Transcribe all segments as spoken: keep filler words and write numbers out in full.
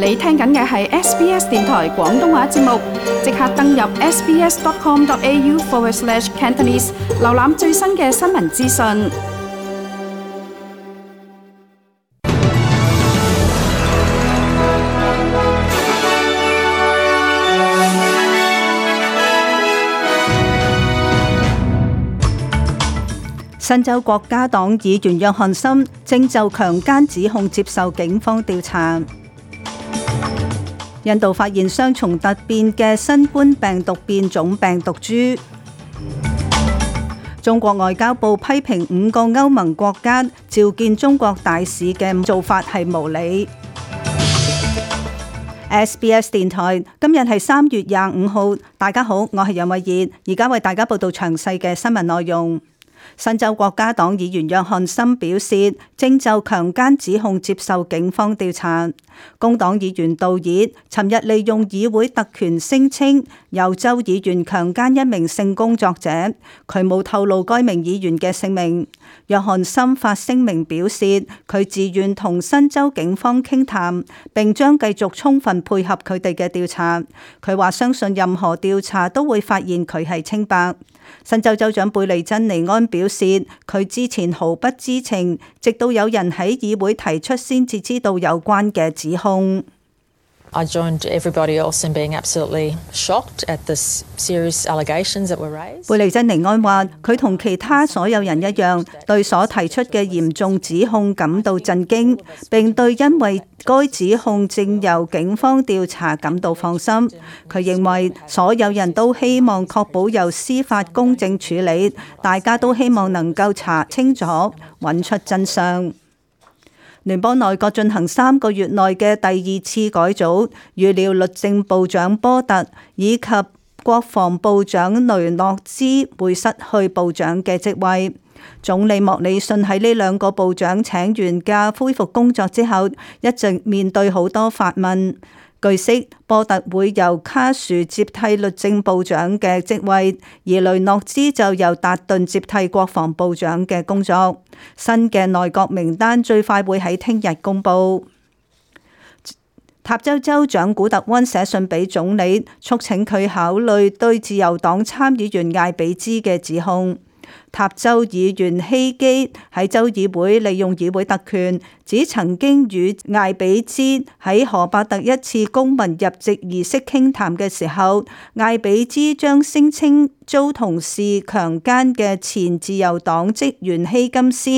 你聽緊嘅係 S B S 電台廣東話節目，即刻登入 sbs.com.au forward slash Cantonese， 瀏覽最新嘅新聞資訊。新州國家黨議員約翰森正就強姦指控接受警方調查。印度發現雙重突變嘅新冠病毒變種病毒株。中國外交部批評五個歐盟國家召見中國大使嘅做法係無理。S B S 電台今日係三月廿五號，大家好，我係楊慧儀，而家為大家報道詳細嘅新聞內容。新州國家黨議員約翰森表示，正就強姦指控接受警方調查。工黨議員道爾尋日利用議會特權聲稱，由州議員強姦一名性工作者，佢冇透露該名議員嘅姓名。約翰森發聲明表示，佢自願同新州警方傾談，並將繼續充分配合佢哋嘅調查。佢話相信任何調查都會發現佢係清白。新州州長貝利珍尼安表示，佢之前毫不知情，直到有人喺議會提出先至知道有關嘅指控。I joined everybody else in being absolutely shocked at the serious allegations that were raised. 貝利珍尼安話，佢同其他所有人一樣，對所提出嘅嚴重指控感到震驚，並對因為該指控正由警方調查感到放心。佢認為所有人都希望確保由司法公正處理，大家都希望能夠查清楚，揾出真相。聯邦內閣進行三個月內嘅第二次改組，預料律政部長波特以及國防部長雷諾茲會失去部長嘅職位。總理莫里遜喺呢兩個部長請完假恢復工作之後，一直面對好多發問。據悉，波特會由卡殊接替律政部長嘅職位，而雷諾茲就由達頓接替國防部長嘅工作。新嘅內閣名單最快會喺聽日公佈。塔州州長古特溫寫信俾總理，促請佢考慮對自由黨參議員艾比茲嘅指控。塔州議員希基喺州議會利用議會特權，指曾經與艾比茲喺荷伯特一次公民入籍儀式傾談嘅時候，艾比茲將聲稱遭同事強姦嘅前自由黨職員希金斯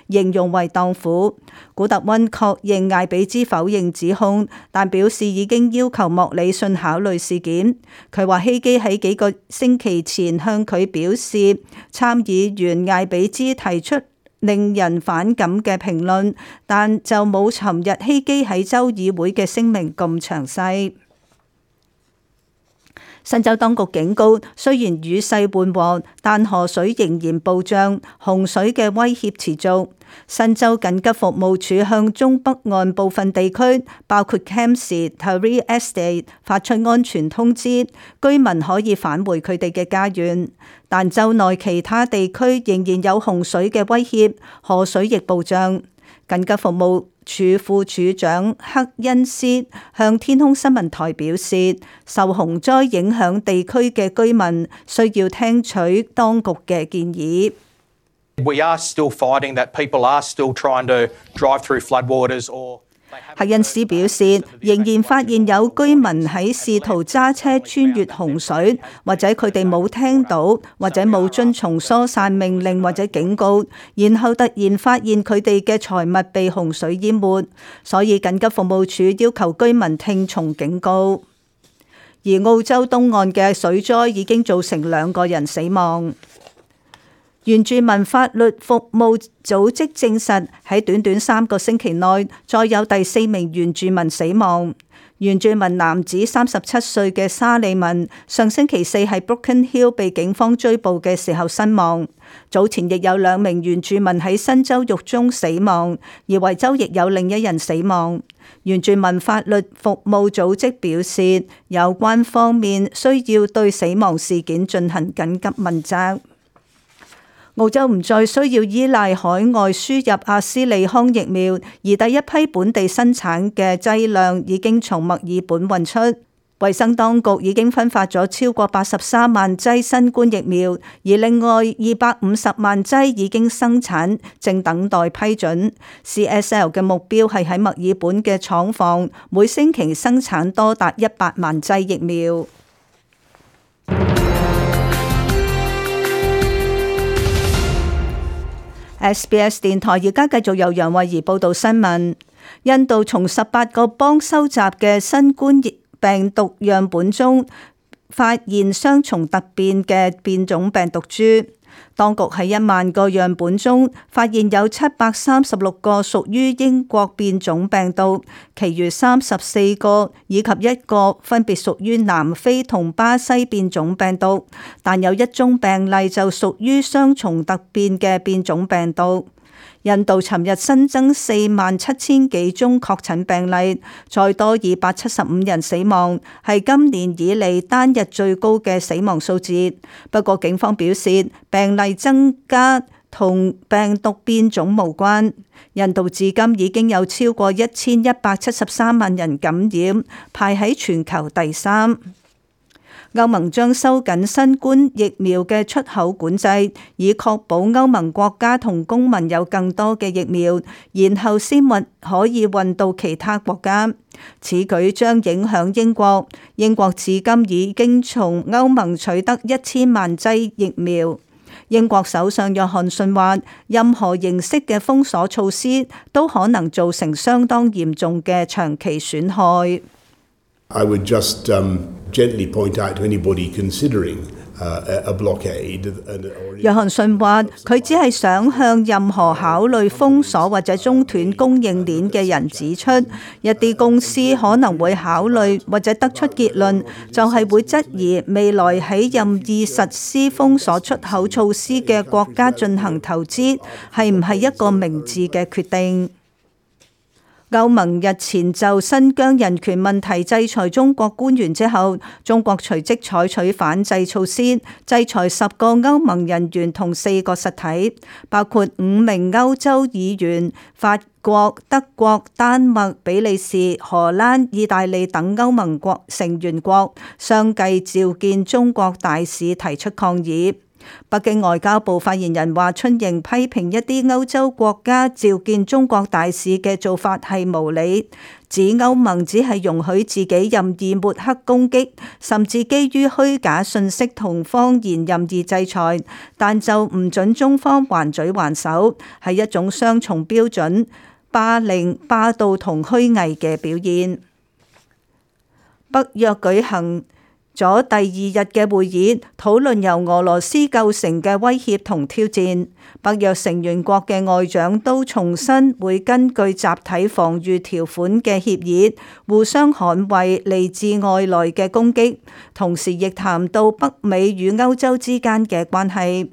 形容為蕩婦。古特溫確認艾比茲否認指控，但表示已經要求莫里遜考慮事件。佢話希基喺幾個星期前向佢表示，參議員艾比茲提出令人反感嘅評論，但就冇尋日希基喺州議會嘅聲明咁詳細。新州當局警告，雖然雨勢緩和，但河水仍然暴漲，洪水嘅威脅持續。新州緊急服務處向中北岸部分地區，包括 Campsie、Taree Estate 發出安全通知，居民可以返回佢哋嘅家園。但州內其他地區仍然有洪水嘅威脅，河水亦暴漲。緊急服務處副處長克恩斯向天空新聞台表示，受洪災影響地區嘅居民需要聽取當局嘅建議。We are still fighting that people are still trying to drive through floodwaters or 克恩斯表示，仍然發現有居民喺試圖揸車穿越洪水，或者佢哋冇聽到，或者冇遵從疏散命令或者警告，然後突然發現佢哋嘅財物被洪水淹沒，所以緊急服務處要求居民聽從警告。而澳洲東岸嘅水災已經造成兩個人死亡。原住民法律服務組織證實，喺短短三個星期內，再有第四名原住民死亡。原住民男子三十七歲嘅沙利文，上星期四喺 Broken Hill 被警方追捕嘅時候身亡。早前亦有兩名原住民喺新州獄中死亡，而維州亦有另一人死亡。原住民法律服務組織表示，有關方面需要對死亡事件進行緊急問責。澳洲唔再需要依賴海外輸入阿斯利康疫苗，而第一批本地生產嘅劑量已經從墨爾本運出。衛生當局已經分發咗超過八十三萬劑新冠疫苗，而另外二百五十萬劑已經生產，正等待批准。C S L 嘅目標係喺墨爾本嘅廠房每星期生產多達一百萬劑疫苗。S B S 電台而家繼續由楊慧儀報道新聞。印度從十八個邦收集嘅新冠病毒樣本中發現雙重突變嘅變種病毒株。當局喺一萬個樣本中發現有七百三十六個屬於英國變種病毒，其餘三十四個以及一個分別屬於南非同巴西變種病毒，但有一宗病例就屬於雙重突變嘅變種病毒。印度尋日新增四萬七千幾宗確診病例，再多二百七十五人死亡，係今年以嚟單日最高嘅死亡數字。不過警方表示，病例增加同病毒變種無關。印度至今已經有超過一千一百七十三萬人感染，排喺全球第三。歐盟將收緊新冠疫苗嘅出口管制，以確保歐盟國家同公民有更多嘅疫苗，然後先運可以運到其他國家。此舉將影響英國。英國至今已經從歐盟取得一千萬劑疫苗。英國首相約翰遜話，任何形式嘅封鎖措施都可能造成相當嚴重嘅長期損害。I would just um, gently point out to anybody considering uh, a blockade. 約翰遜話：佢只係想向任何考慮封鎖或者中斷供應鏈嘅人指出，一啲公司可能會考慮或者得出結論，就係會質疑未來喺任意實施封鎖出口措施嘅國家進行投資係唔係一個明智嘅決定。歐盟日前就新疆人權問題制裁中國官員之後，中國隨即採取反制措施，制裁十個歐盟人員同四個實體，包括五名歐洲議員、法國、德國、丹麥、比利時、荷蘭、意大利等歐盟國成員國，相繼召見中國大使提出抗議。北京外交部發言人華春瑩批評一啲歐洲國家召見中國大使嘅做法係無理，指歐盟只係容許自己任意抹黑攻擊，甚至基於虛假信息同謊言任意制裁，但就唔准中方還嘴還手，係一種雙重標準、霸凌、霸道同虛偽嘅表現。北約舉行咗第二日嘅會議，討論由俄羅斯構成嘅威脅同挑戰。北約成員國嘅外長都重申會根據集體防禦條款嘅協議，互相捍衛嚟自外來嘅攻擊，同時亦談到北美與歐洲之間嘅關係。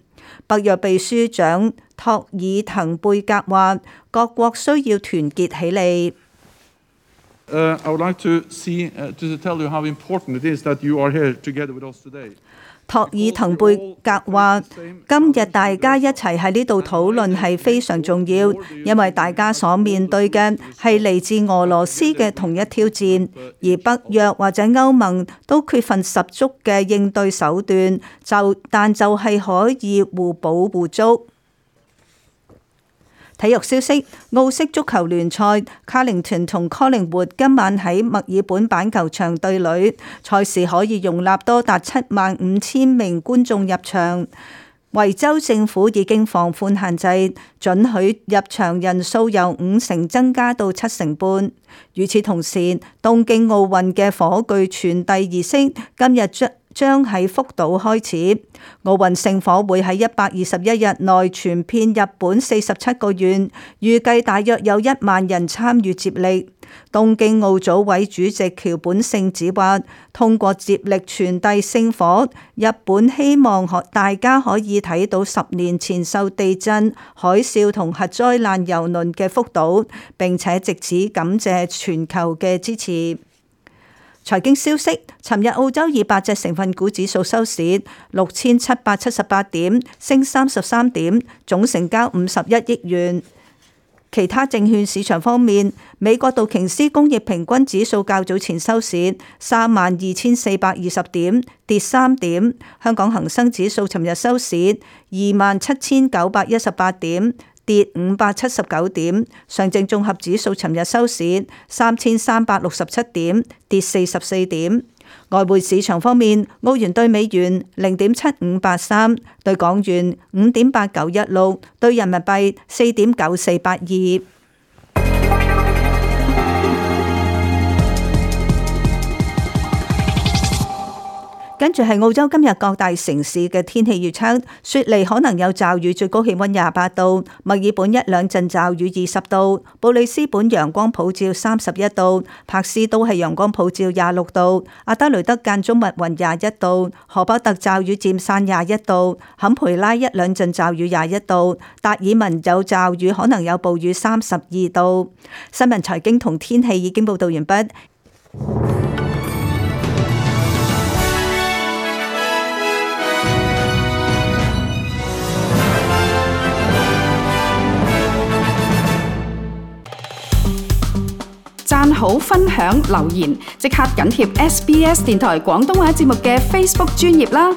北約秘書長托爾滕貝格話：各國需要團結起嚟。Uh, I would like to see, uh, to tell you how important it is that you are here together with us today. 托爾滕貝格話：今日大家一齊喺呢度討論係非常重要，因為大家所面對嘅係嚟自俄羅斯嘅同一挑戰，而北約或者歐盟都缺乏十足嘅應對手段，就但就係可以互補互足。體育消息：澳式足球聯賽，卡靈頓同柯靈活今晚喺墨爾本板球場對壘，賽事可以容納多達七萬五千名觀眾入場。維州政府已經放寬限制，准許入場人數由五成增加到七成半。與此同時，東京奧運嘅火炬傳遞儀式今日將將喺福島開始。奧運聖火會喺一百二十一日內傳遍日本四十七個縣，預計大約有一萬人參與接力。東京奧組委主席橋本聖子話：通過接力傳遞聖火，日本希望大家可以睇到十年前受地震、海嘯同核災難蹂躪嘅福島，並且藉此感謝全球嘅支持。財經消息，尋日澳洲二百隻成分股指數收市六千七百七十八點，升三十三點，總成交五十一億元。其他證券市場方面，美國道瓊斯工業平均指數較早前收市三萬二千四百二十點，跌三點。香港恒生指數尋日收市二萬七千九百一十八點，跌五百七十九點。上證綜合指數尋日收市三千三百六十七點，跌四十四點。外匯市場方面，澳元對美元零點七五八三，對港元五點八九一六，對人民幣四點九四八二。跟住係澳洲今日各大城市嘅天氣預測，雪梨可能有驟雨，最高氣溫廿八度；墨爾本一兩陣驟雨二十度；布里斯本陽光普照三十一度；柏斯都係陽光普照廿六度；阿德雷德間中密雲廿一度；荷伯特驟雨漸散廿一度；坎培拉一兩陣驟雨廿一度；達爾文有驟雨，可能有暴雨三十二度。新聞財經同天氣已經報道完畢。讚好、分享、留言，即刻緊貼 S B S 電台廣東話節目嘅 Facebook 專頁啦！